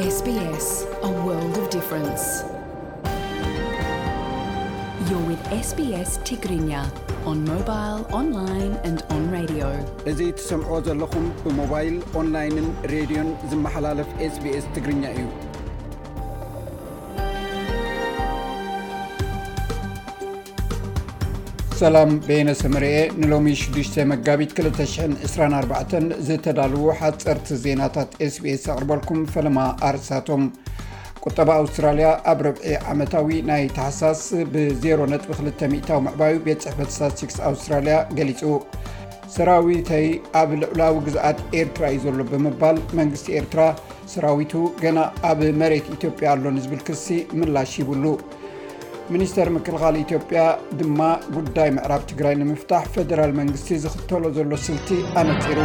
S B S, a world of difference. You're with S B S Tigrinya on mobile, online and on radio. እዚ ትሰምዖ ዘለኹም ብሞባይል፣ ኦንላይንን ሬድዮን ዝመሓላለፍ S B S ትግርኛ እዩ። ሰላም፣ በየነ ሰመረኤ። ንሎሚ ሽዱሽተ መጋቢት ክልተ ሽሕን ዕስራን ኣርባዕተን ዝተዳለዉ ሓጸርቲ ዜናታት S B S ኣቕርበልኩም። ፈለማ ኣርሳቶም። ቁጠባ ኣውስትራልያ ኣብ ርብዒ ዓመታዊ ናይ ታሕሳስ ብ ዜሮ ነጥቢ ክልተ ሚእታዊ ምዕባዩ ቤት ጽሕፈት ስታትስቲክስ ኣውስትራልያ ገሊጹ። ሰራዊተይ ኣብ ልዑላዊ ግዝኣት ኤርትራ እዩ ዘሎ ብምባል መንግስቲ ኤርትራ ሰራዊቱ ገና ኣብ መሬት ኢትዮጵያ ኣሎ ንዝብል ክሲ ምላሽ ሂቡሉ። ሚኒስተር ምክልኻል ኢትዮጵያ ድማ ጉዳይ ምዕራብ ትግራይ ንምፍታሕ ፌደራል መንግስቲ ዝኽተሎ ዘሎ ስልቲ ኣነጺሩ።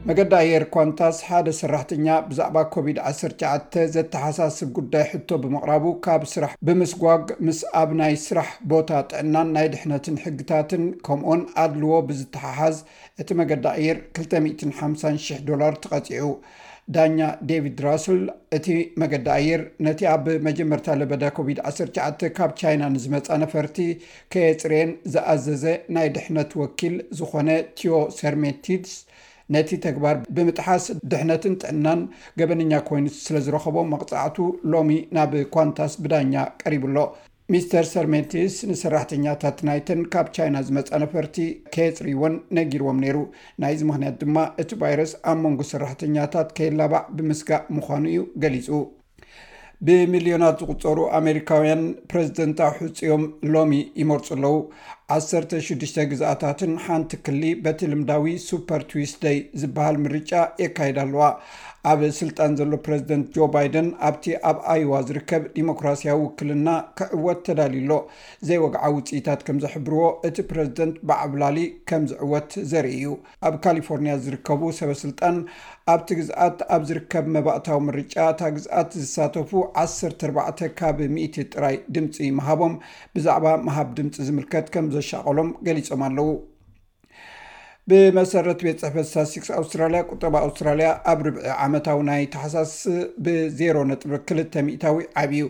መገዲ ኣየር ኳንታስ ሓደ ሰራሕተኛ ብዛዕባ ኮቪድ ዓሰርተ ትሽዓተ ዘተሓሳስብ ጉዳይ ሕቶ ብምቕራቡ ካብ ስራሕ ብምስጓግ ምስ ኣብ ናይ ስራሕ ቦታ ጥዕናን ናይ ድሕነትን ሕግታትን ከምኡውን ኣድልዎ ብዝተሓሓዝ እቲ መገዲ ኣየር ክልተ ሚእትን ሓምሳን ሽሕ ዶላር ተቐጺዑ። ዳኛ ዴቪድ ራስል እቲ መገዲ ኣየር ነቲ ኣብ መጀመርታ ለበዳ ኮቪድ ዓሰርተ ትሽዓተ ካብ ቻይና ንዝመጻ ነፈርቲ ከየጽረየን ዝኣዘዘ ናይ ድሕነት ወኪል ዝኾነ ቲዮ ሰርሜቲድስ ነቲ ተግባር ብምጥሓስ ድሕነትን ጥዕናን ገበነኛ ኮይኑ ስለ ዝረኸቦ መቕጻዕቱ ሎሚ ናብ ኳንታስ ብዳኛ ቀሪቡ ኣሎ። ሚስተር ሰርሜቲስ ንሰራሕተኛታት ናይተን ካብ ቻይና ዝመጻ ነፈርቲ ከየጽርይወን ነጊርዎም ነይሩ። ናይዚ ምኽንያት ድማ እቲ ቫይረስ ኣብ መንጎ ሰራሕተኛታት ከይላባዕ ብምስጋእ ምዃኑ እዩ ገሊጹ። ብሚልዮናት ዝቑጸሩ ኣሜሪካውያን ፕረዚደንታዊ ሕጽዮም ሎሚ ይመርጹ ኣለዉ። ዓሰርተ ሽዱሽተ ግዝኣታትን ሓንቲ ክሊ በቲ ልምዳዊ ሱፐር ቱዊስደይ ዝበሃል ምርጫ የካይዳ ኣለዋ። ኣብ ስልጣን ዘሎ ፕረዚደንት ጆ ባይደን ኣብቲ ኣብ ኣይዋ ዝርከብ ዲሞክራሲያዊ ውክልና ክዕወት ተዳልዩ ኣሎ። ዘይወግዓዊ ውጽኢታት ከም ዘሕብርዎ እቲ ፕረዚደንት ብዓብላሊ ከም ዝዕወት ዘርኢ እዩ። ኣብ ካሊፎርኒያ ዝርከቡ ሰበ ስልጣን ኣብቲ ግዝኣት ኣብ ዝርከብ መባእታዊ ምርጫ እታ ግዝኣት ዝሳተፉ ዓሰርተ ኣርባዕተ ካብ ሚእቲ ጥራይ ድምጺ ምሃቦም ብዛዕባ ምሃብ ድምጺ ዝምልከት ከም ዘሻቐሎም ገሊጾም ኣለዉ። ብመሰረት ቤት ጽሕፈት ስታትስቲክስ ኣውስትራልያ፣ ቁጠባ ኣውስትራልያ ኣብ ርብዒ ዓመታዊ ናይ ታሕሳስ ብ ዜሮ ነጥቢ ክልተ ሚእታዊ ዓብዩ።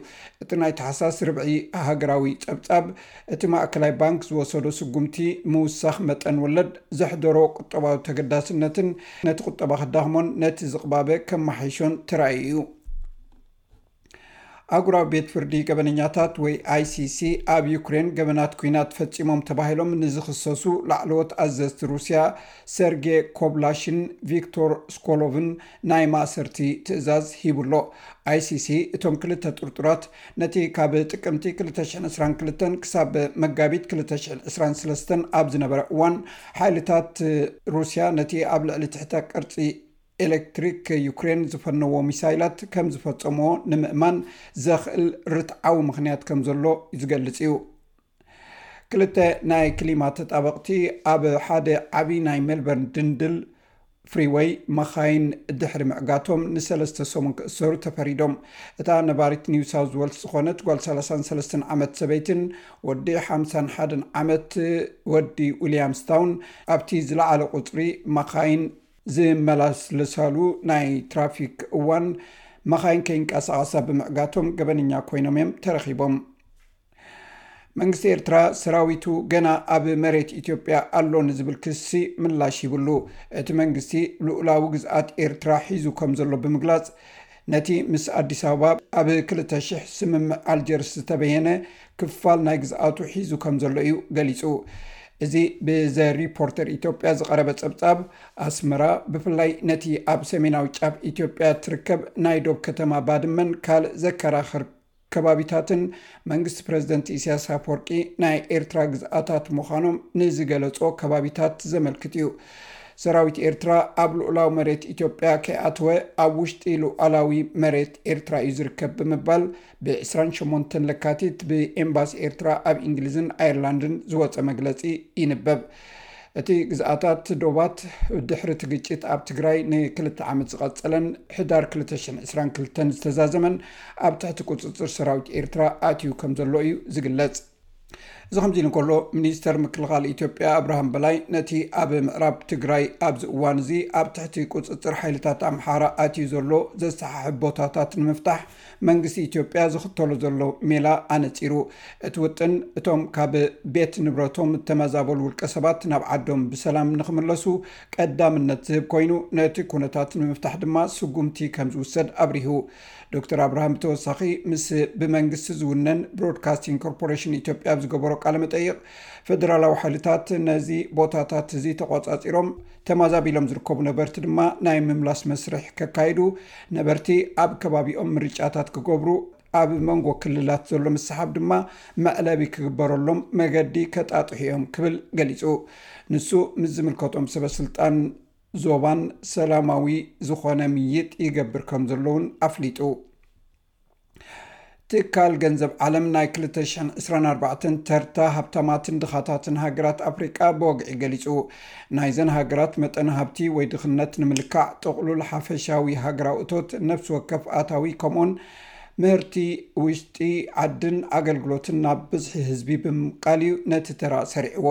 እቲ ናይ ታሕሳስ ርብዒ ሃገራዊ ጸብጻብ፣ እቲ ማእከላይ ባንክ ዝወሰዶ ስጉምቲ ምውሳኽ መጠን ወለድ ዘሕደሮ ቁጠባዊ ተገዳስነትን ነቲ ቁጠባ ከዳኽሞን ነቲ ዝቕባበ ከመሓይሾን ተራእዩ እዩ። ኣህጉራዊ ቤት ፍርዲ ገበነኛታት ወይ I C C ኣብ ዩክሬን ገበናት ኲናት ፈጺሞም ተባሂሎም ንዝኽሰሱ ላዕለዎት ኣዘዝቲ ሩስያ ሰርጌ ኮብላሽን ቪክቶር ስኮሎቭን ናይ ማእሰርቲ ትእዛዝ ሂቡ ኣሎ። I C C እቶም ክልተ ጥርጡራት ነቲ ካብ ጥቅምቲ ክልተ ሽሕን ዕስራን ክልተን ክሳብ መጋቢት ክልተ ሽሕን ዕስራን ሰለስተን ኣብ ዝነበረ እዋን ሓይልታት ሩስያ ነቲ ኣብ ልዕሊ ትሕተ ቅርጺ ኤሌክትሪክ ዩክሬን ዝፈነዎ ሚሳይላት ከም ዝፈጸምዎ ንምእማን ዘኽእል ርትዓዊ ምኽንያት ከም ዘሎ ዝገልጽ እዩ። ክልተ ናይ ክሊማ ተጣበቕቲ ኣብ ሓደ ዓቢ ናይ ሜልበርን ድንድል ፍሪወይ መኻይን ድሕሪ ምዕጋቶም ንሰለስተ ሰሙን ክእሰሩ ተፈሪዶም። እታ ነባሪት ኒው ሳውዝ ዌልስ ዝኾነት ጓል ሰላሳን ሰለስተን ዓመት ሰበይትን ወዲ ሓምሳን ሓደን ዓመት ወዲ ዊልያምስታውን ኣብቲ ዝለዓለ ቁጽሪ መኻይን ዝመላለሳሉ ናይ ትራፊክ እዋን መኻይን ከይንቀሳቐሳ ብምዕጋቶም ገበነኛ ኮይኖም እዮም ተረኺቦም። መንግስቲ ኤርትራ ሰራዊቱ ገና ኣብ መሬት ኢትዮጵያ ኣሎ ንዝብል ክሲ ምላሽ ሂብሉ። እቲ መንግስቲ ልኡላዊ ግዝኣት ኤርትራ ሒዙ ከም ዘሎ ብምግላጽ፣ ነቲ ምስ ኣዲስ ኣበባ ኣብ ክልተ ሽሕ ስምምዕ ኣልጀርስ ዝተበየነ ክፋል ናይ ግዝኣቱ ሒዙ ከም ዘሎ እዩ ገሊጹ። እዚ ብዘ ሪፖርተር ኢትዮጵያ ዝቐረበ ጸብጻብ፣ ኣስመራ ብፍላይ ነቲ ኣብ ሰሜናዊ ጫፍ ኢትዮጵያ ትርከብ ናይ ዶብ ከተማ ባድመን ካልእ ዘከራኽር ከባቢታትን መንግስቲ ፕረዚደንት ኢሳያስ ኣፈወርቂ ናይ ኤርትራ ግዝኣታት ምዃኖም ንዝገለጾ ከባቢታት ዘመልክት እዩ። ሰራዊት ኤርትራ ኣብ ልኡላዊ መሬት ኢትዮጵያ ከይኣተወ ኣብ ውሽጢ ልኡላዊ መሬት ኤርትራ እዩ ዝርከብ ብምባል ብ ዕስራን ሸሞንተን ለካቲት ብኤምባሲ ኤርትራ ኣብ እንግሊዝን ኣየርላንድን ዝወጸ መግለጺ ይንበብ። እቲ ግዝኣታት ዶባት ድሕሪ እቲ ግጭት ኣብ ትግራይ ንክልተ ዓመት ዝቐጸለን ሕዳር ክልተ ሽሕን ዕስራን ክልተን ዝተዛዘመን ኣብ ትሕቲ ቁጽጽር ሰራዊት ኤርትራ ኣትዩ ከም ዘሎ እዩ ዝግለጽ። እዚ ከምዚ ኢሉ እንከሎ፣ ሚኒስተር ምክልኻል ኢትዮጵያ ኣብርሃም በላይ ነቲ ኣብ ምዕራብ ትግራይ ኣብዚ እዋን እዚ ኣብ ትሕቲ ቁጽጽር ሓይልታት ኣምሓራ ኣትዩ ዘሎ ዘሰሓሕብ ቦታታት ንምፍታሕ መንግስቲ ኢትዮጵያ ዝኽተሎ ዘሎ ሜላ ኣነጺሩ። እቲ ውጥን እቶም ካብ ቤት ንብረቶም እተመዛበሉ ውልቀ ሰባት ናብ ዓዶም ብሰላም ንኽምለሱ ቀዳምነት ዝህብ ኮይኑ፣ ነቲ ኩነታት ንምፍታሕ ድማ ስጉምቲ ከም ዝውሰድ ኣብሪሁ። ዶክተር ኣብርሃም ብተወሳኺ ምስ ብመንግስቲ ዝውነን ብሮድካስቲንግ ኮርፖሬሽን ኢትዮጵያ ኣብ ዝገበሮ ቃለ መጠይቕ፣ ፌደራላዊ ሓይልታት ነዚ ቦታታት እዚ ተቖጻጺሮም፣ ተማዛቢሎም ዝርከቡ ነበርቲ ድማ ናይ ምምላስ መስርሕ ከካይዱ፣ ነበርቲ ኣብ ከባቢኦም ምርጫታት ክገብሩ፣ ኣብ መንጎ ክልላት ዘሎ ምስሓብ ድማ መዕለቢ ክግበረሎም መገዲ ከጣጥሑ እዮም ክብል ገሊጹ። ንሱ ምስ ዝምልከቶም ሰበ ስልጣን ዞባን ሰላማዊ ዝኾነ ምይጥ ይገብር ከም ዘሎ እውን ኣፍሊጡ። ትካል ገንዘብ ዓለም ናይ ክልተ ሽሕን ዕስራን ኣርባዕተን ተርታ ሃብታማትን ድኻታትን ሃገራት ኣፍሪቃ ብወግዒ ገሊጹ። ናይዘን ሃገራት መጠን ሃብቲ ወይ ድኽነት ንምልካዕ ጥቕሉል ሓፈሻዊ ሃገራዊ እቶት፣ ነፍሲ ወከፍ ኣታዊ ከምኡን ምህርቲ ውሽጢ ዓድን ኣገልግሎትን ናብ ብዝሒ ህዝቢ ብምቃል እዩ ነቲ ተራ ሰሪዕዎ።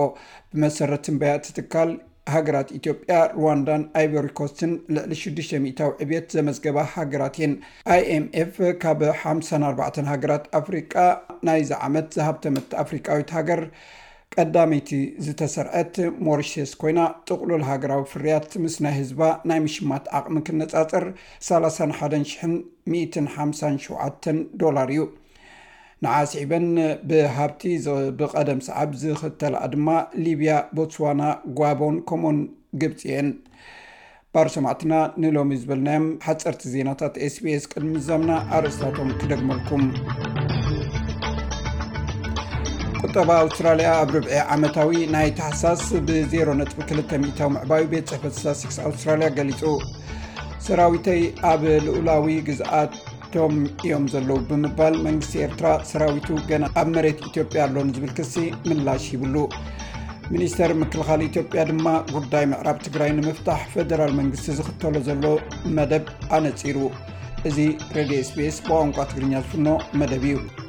ብመሰረት ትንበያ እቲ ትካል፣ ሃገራት ኢትዮጵያ፣ ሩዋንዳን ኣይቨሪ ኮስትን ልዕሊ ሽዱሽተ ሚእታዊ ዕብየት ዘመዝገባ ሃገራት እየን። ኣይኤምኤፍ ካብ ሓምሳን ኣርባዕተን ሃገራት ኣፍሪቃ ናይዚ ዓመት ዝሃብተመት ኣፍሪቃዊት ሃገር ቀዳመይቲ ዝተሰርዐት ሞሪሸስ ኮይና፣ ጥቕሉል ሃገራዊ ፍርያት ምስ ናይ ህዝባ ናይ ምሽማት ዓቕሚ ክነጻጸር ሰላሳን ሓደን ሽሕን ሚእትን ሓምሳን ሸውዓተን ዶላር እዩ። ንዓ ስዒበን ብሃብቲ ዝ-፣ ብቐደም ሰዓብ ዝኽተልኣ ድማ ሊብያ፣ ቦትስዋና፣ ጓቦን ከምኡን ግብፂ እየን። ባር ሰማዕትና፣ ንሎሚ ዝበልናዮም ሓፀርቲ ዜናታት ኤስቢኤስ ቅድሚ ምዛምና ኣርእስታቶም ክደግመልኩም። ቁጠባ ኣውስትራልያ ኣብ ርብዒ ዓመታዊ ናይ ታሕሳስ ብ ዜሮ ነጥቢ ክልተ ሚእታዊ ምዕባዩ ቤት ጽሕፈት ስታትስቲክስ ኣውስትራልያ ገሊጹ። ሰራዊተይ ኣብ ልኡላዊ ግዝኣቶም እዮም ዘለዉ ብምባል መንግስቲ ኤርትራ ሰራዊቱ ገና ኣብ መሬት ኢትዮጵያ ኣሎ ንዝብል ክሲ ምላሽ ሂብሉ። ሚኒስተር ምክልኻል ኢትዮጵያ ድማ ጉዳይ ምዕራብ ትግራይ ንምፍታሕ ፌደራል መንግስቲ ዝኽተሎ ዘሎ መደብ ኣነጺሩ። እዚ ሬድዮ ኤስቢኤስ ብቋንቋ ትግርኛ ዝፍኖ መደብ እዩ።